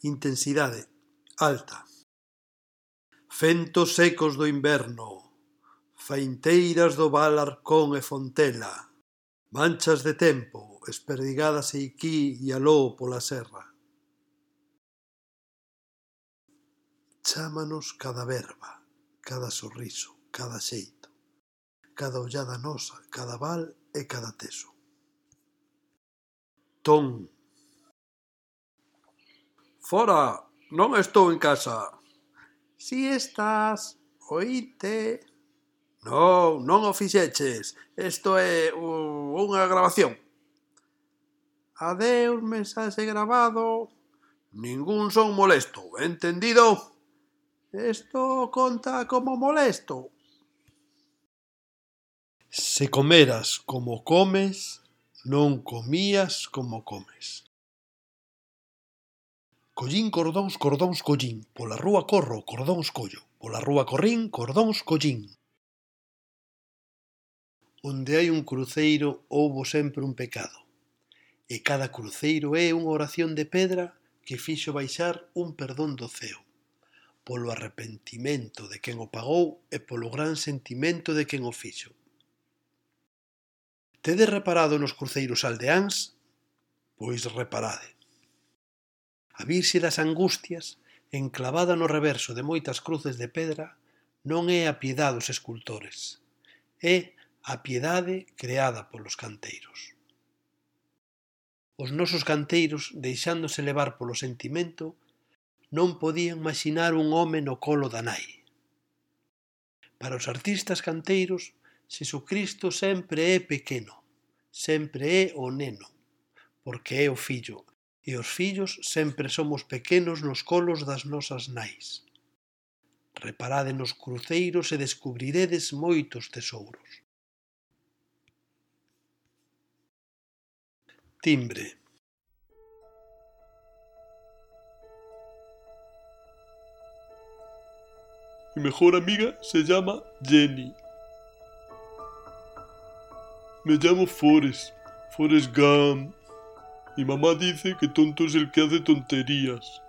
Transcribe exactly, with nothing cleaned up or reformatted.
intensidade, alta. Fentos secos do inverno, fainteiras do val Arcón e Fontela, manchas de tempo esperdigadas eiquí e aló pola serra. Chámanos cada verba, cada sorriso, cada xeito, cada ollada nosa, cada val e cada teso. Ton. Fora, non estou en casa. Si estás, oíte. Non, non o fixeches. Isto é uh, unha grabación. Adeus, mensaxe grabado. Ningún son molesto, entendido? Isto conta como molesto. Se comeras como comes, non comías como comes. Collín cordóns, cordóns collín, pola rúa corro, cordóns collo, pola rúa corrín, cordóns collín. Onde hai un cruceiro houbo sempre un pecado, e cada cruceiro é unha oración de pedra que fixo baixar un perdón do ceo, polo arrepentimento de quen o pagou e polo gran sentimento de quen o fixo. Tedes reparado nos cruceiros aldeáns? Pois reparade. A Virxe das Angustias, enclavada no reverso de moitas cruces de pedra, non é a piedade dos escultores, é a piedade creada polos canteiros. Os nosos canteiros, deixándose levar polo sentimento, non podían imaxinar un home no colo da nai. Para os artistas canteiros, Xesucristo sempre é pequeno, sempre é o neno, porque é o fillo, e os fillos sempre somos pequenos nos colos das nosas nais. Reparade nos cruceiros e descubriredes moitos tesouros. Timbre. Mi mejor amiga se llama Jenny. Me llamo Forrest, Forrest Gump. Mi mamá dice que tonto es el que hace tonterías.